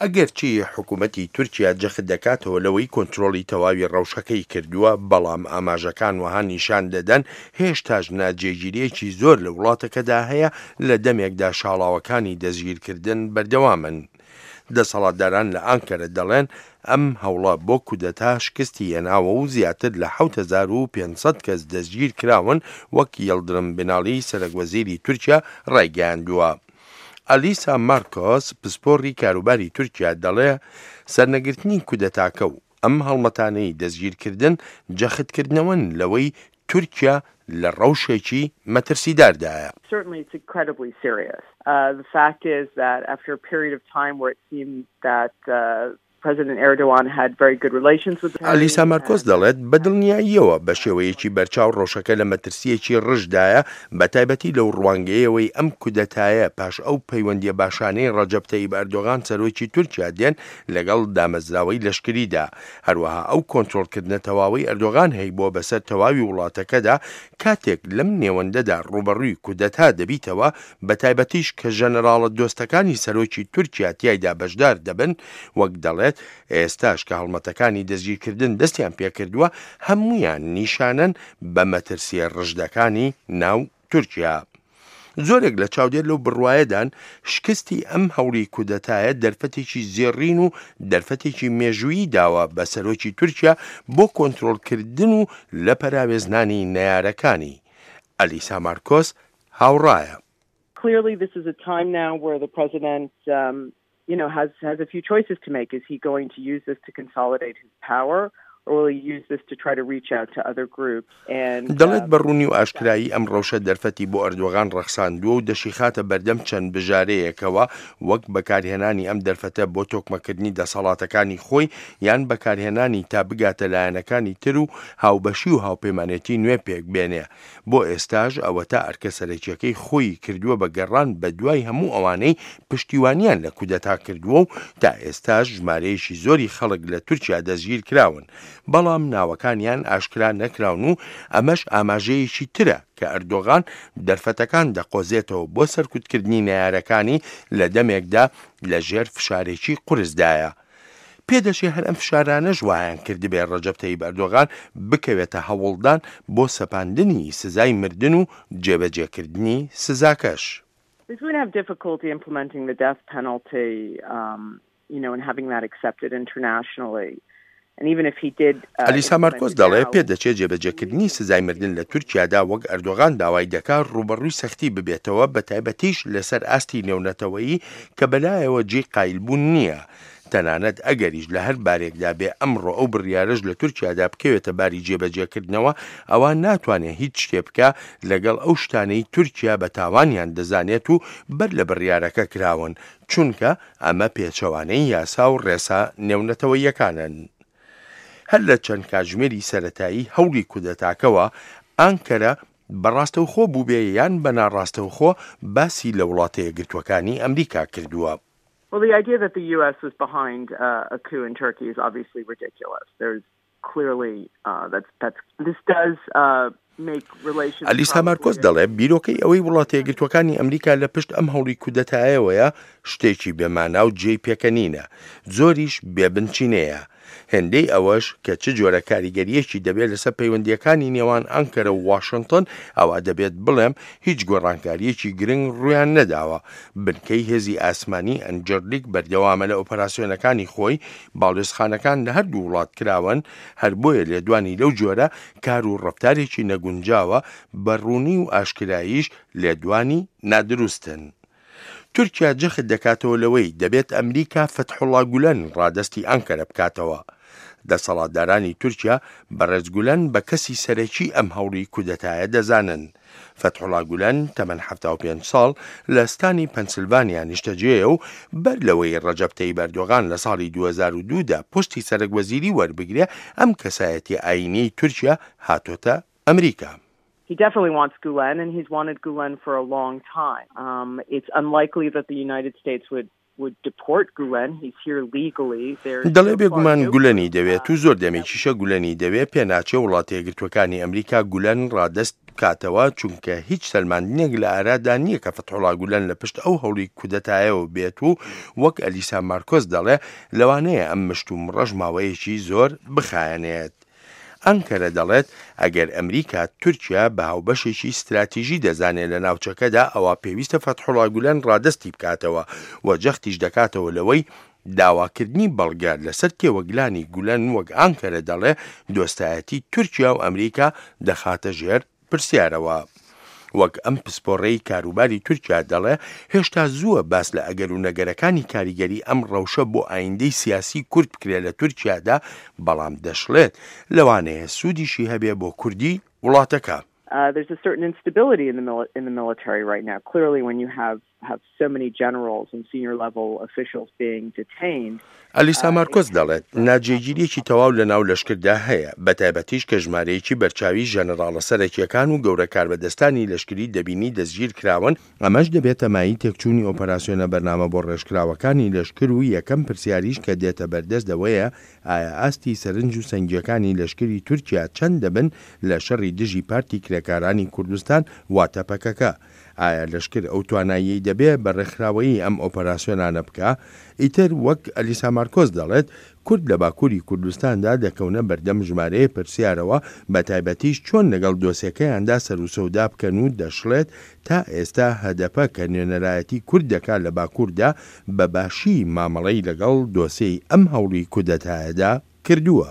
ئەگەرچی حکومەتی تورکیا جەخت دەکاتەوە لەوەی کۆنترۆڵی تەواوی ڕەوشەکەی کردووە، بەڵام ئاماژەکان وەها نیشان دەدەن هێشتاش ناجێگیرییەکی زۆر لە وڵاتەکەدا هەیە لە دەمێکدا شاڵاوەکانی دەستگیرکردن بەردەوامن. دەسەڵاتداران لە ئانکەرە دەڵێن ئەم هەوڵە بۆ کودەتا شکستی هێناوە و زیاتر لە 7500 کەس دەستگیرکراون وەک یڵدرم بناڵی سەرەکوەزیری تورکیا ڕایگەیاندووە. ئەلیسا مارکۆس، پسپۆڕی کاروباری تورکیا دەڵێ، سەرنەگرتنی کودەتاکە و ئەم هەڵمەتانەی دەستگیرکردن جەختکردنەوەن لەوەی تورکیا لە ڕەوشێکی مەترسیداردایە. Certainly it's incredibly serious. The fact is that after a period of time where it seemed that President Erdogan had very good relations with the ئالیسا مارکۆس دەڵێت، بە دڵنیاییەوە بە شێوەیەکی بەرچاو ڕەوشەکە لە مەترسییەکی ڕژدایە، بەتایبەتی لەو ڕوانگەیەوەی ئەم کودەتایە پاش ئەو پەیوەندییە باشانەی ڕەجەب تەیب ئەردۆغان سەرۆکی تورکیا دێن لەگەڵ دامەزراوەی لەشکریدا، هەروەها ئەو کۆنترۆڵکردنە تەواوەی ئەردۆغان هەیبووە بەسەر تەواوی وڵاتەکەدا، کاتێک لەم نێوەندەدا ڕووبەڕووی کودەتا دەبیتەوە، بەتایبەتیش کە ژەنەراڵە دۆستەکانی سەرۆکی تورکیا تیایدا بەشدار دەبن، وەک دەڵێت ئێستاش کە هەڵمەتەکانی دەستگیرکردن دەستیان پێکردووە، هەموویان نیشانەن بە مەترسییە ڕژدەکانی ناو تورکیا. زۆرێک لە چاودێر لەو بڕوایەدان شکستی ئەم هەوڵی کودەتایە دەرفەتێکی زێڕین و دەرفەتێکی مێژوویی داوە بە سەرۆکی تورکیا بۆ کۆنترۆڵکردن و لە پەراوێزنانی نەیارەکانی. ئەلیسا مارکۆس هاوڕایە. Clearly this is a time now where the president you know has has a few choices to make. Is he going to use this to consolidate his power or will he use this to try to reach out to other groups and دەڵێت بە ڕوونی و ئاشکرایی ئەم ڕەوشە دەرفەتی بۆ ئەردۆغان ڕەخساندووە و دەشیخاتە بەردەم چەند بژارەیەکەوە وەک بەکارهێنانی ئەم دەرفەتە بۆ تۆکمەکردنی دەسەڵاتەکانی خۆی یان بەکارهێنانی تا بگاتە لایەنەکانی تر و هاوبەشی و هاوپەیمانێتی نوێ پێکبێنێ. بۆ ئێستاش ئەوەتا ئەرکە سەرەکیەکەی خۆی کردووە بە گەڕان بە دوای هەموو ئەوانەی پشتیوانیان لە کودەتا کردووە و تا ئێستاش ژمارەیەکی زۆری خەڵک لە تورکیا دەستگیر کراون بەڵام ناوەکانیان ئاشکرا نەکراون و ئەمەش ئاماژەیەکی ترە کە ئەردۆغان دەرفەتەکان دەقۆزێتەوە بۆ سەرکوتکردنی نەیارەکانی لە دەمێکدا لە ژێر فشارێکی قورسدایە. پێدەچێ هەر ئەم فشارانەش وایان کردبێ ڕەجەب تەیب ئەردۆغان بکەوێتە هەوڵدان بۆ سەپاندنی سزای مردن و جێبەجێکردنی سزاکەش. He's going to have difficulty implementing the death penalty, you know, and having that accepted internationally. And even if he did ئەلیسا مارکۆس دەڵێ پێدەچێ جێبەجێکردنی سزای مردن لە تورکیادا وەک ئەردۆغان داوای دەکا ڕووبەڕووی سەختی ببێتەوە بەتایبەتیش لەسەر ئاستی نێونەتەوەیی کە بەلایەوە جێی قایلبوون نییە. تەنانەت ئەگەریش لە هەر بارێکدا بێ ئەمڕۆ ئەو بڕیارەش لە تورکیادا بکەوێتە باری جێبەجێکردنەوە ئەوا ناتوانێ هیچ شتێ بکا لەگەڵ ئەو شتانەی تورکیا بە تاوانیان دەزانێت و بەر لە بڕیارەکە کراون چونکە ئەمە پێچەوانەی یاسا و ڕێسا نێونەتەوەییەکانن. هەر لە چەند کاتژمێری سەرەتایی هەوڵی کودەتاکەوە ئانکەرە بە ڕاستەوخۆ بووبێ یان بە ناڕاستەوخۆ باسی لە وڵاتەیەکگرتووەکانی ئەمریکا کردووە. Well, the idea that the US was behind a coup in Turkey is obviously ridiculous. There's clearly that's that's this does make relations ئەلیسا مارکۆس دەڵێ بیرۆکەی ئەوەی وڵاتەیەکگرتووەکانی ئەمریکا لە پشت ئەم هەوڵی کودەتایەوەیە شتێکی بێ مانا و جێی پێکەنینە، زۆریش بێ بنچینەیە. هێندەی ئەوەش کە چ جۆرە کاریگەرییەکی دەبێت لەسەر پەیوەندییەکانی نێوان ئەنکەرە و واشنتۆن، ئەوا دەبێت بڵێم هیچ گۆڕانکارییەکی گرنگ ڕوویان نەداوە. بنکەی هێزی ئاسمانی ئەنجەرلیک بەردەوامە لە ئۆپەراسیۆنەکانی خۆی، باڵیۆزخانەکان لە هەردوو وڵات کراوەن، هەر بۆیە لێدوانی لەو جۆرە کار و ڕەفتارێکی نەگونجاوە، بە ڕوونی و ئاشکراییش لێدوانی نادروستن. تورکیا جەخت دەکاتەوە لەوەی دەبێت ئەمریکا فەتحوڵا گولەن ڕادەستی ئەنکەرە بکاتەوە. دەسەڵاتدارانی تورکیا بەڕێز گولەن بە کەسی سەرەکی ئەم هەوڵی کودەتایە دەزانن. فەتحوڵا گولەن تەمەن 75 ساڵ لە ستانی پەنسلڤانیا نیشتەجێیە و بەر لەوەی ڕەجەب تەیب ئەردۆغان لە ساڵی 2002 دا پۆستی سەرەک وەزیری وەربگرێ ئەم کەسایەتیە ئایینیەی تورکیا هاتۆتە ئەمریکا. He definitely wants Gulen and he's wanted Gulen for a long time. Um, it's unlikely that the United States would would deport Gulen. He's here legally. There's دەڵێ بێگومان گولەنی دەوێت و زۆر دەمێکیشە گولەنی دەوێ، پێناچێ وڵاتەیەکگرتووەکانی ئەمریکا گولەن ڕادەست بکاتەوە، چونکە هیچ سەلماندنێک لە ئارادا نییە کە فەتحوڵا گولەن لە پشت ئەو هەوڵی کودەتایەوە بێت و وەک ئەلیسا مارکۆس دەڵێ لەوانەیە ئەم مشتومڕەش ماوەیەکی زۆر بخایەنێت. ئەنکەرە دەڵێت ئەگەر ئەمریکا تورکیا بە هاوبەشێکی ستراتیژی دەزانێت لە ناوچەکەدا ئەوا پێویستە فەتحوڵا گولەن ڕادەستی بکاتەوە و جەختیش دەکاتەوە لەوەی داواکردنی بەڵگە لەسەر تێوەگلانی گولەن وەک ئانکەرە دەڵێ دۆستایەتی تورکیا و ئەمریکا دەخاتە ژێر پرسیارەوە. وەک ئەم پسپۆڕەی کاروباری تورکیا دەڵێ هێشتا زووە باس لە ئەگەر و نەگەرەکانی کاریگەری ئەم ڕەوشە بۆ ئایندەی سیاسی کورد بکرێ لە تورکیادا، بەڵام دەشڵێت لەوانەیە سوودیشی هەبێ بۆ کوردی وڵاتەکە. There's a certain instability in the in the military right now. Clearly when you have have so many generals and senior level officials being detained. ئەلیسا مارکۆس دەڵێت، ناجێگیرییەکی تەواو لەناو لەشکردا هەیە، بەتایبەتیش کە ژمارەیەکی بەرچاوی ژەنەراڵە سەرەکییەکان و گەورە کاربەدەستانی لەشکری دەبینی دەستگیرکراون، ئەمەش دەبێتە مایەی تێکچوونی ئۆپەراسیۆنە بەرنامە بۆڕێژکراوەکانی لەشکر و یەکەم پرسیاریش کە دێتە بەردەست ئەوەیە ئایا ئاستی سەرنج و سەنگییەکانی لەشکری تورکیا چەند دەبن لە شەڕی دژی پارتی کرێکارانی کوردستان واتە پەکەکە؟ ئایا لەشکر ئەو تواناییەی دەبێ بە ڕێکخراوەیی ئەم ئۆپەراسیۆنانە بکا؟ ئیتر وەک ئەلیسا مارکۆس دەڵێت، کورد لە باکووری کوردستاندا دەکەونە بەردەم ژمارەیە پرسیارەوە، بەتایبەتیش چۆن لەگەڵ دۆسێکەیاندا سەروسەودا بکەن و دەشڵێت تا ئێستا هەدەپە کە نوێنەرایەتی کورد دەکا لە باکووردا بە باشی مامەڵەی لەگەڵ دۆسێی ئەم هەوڵی کودەتایەدا کردووە.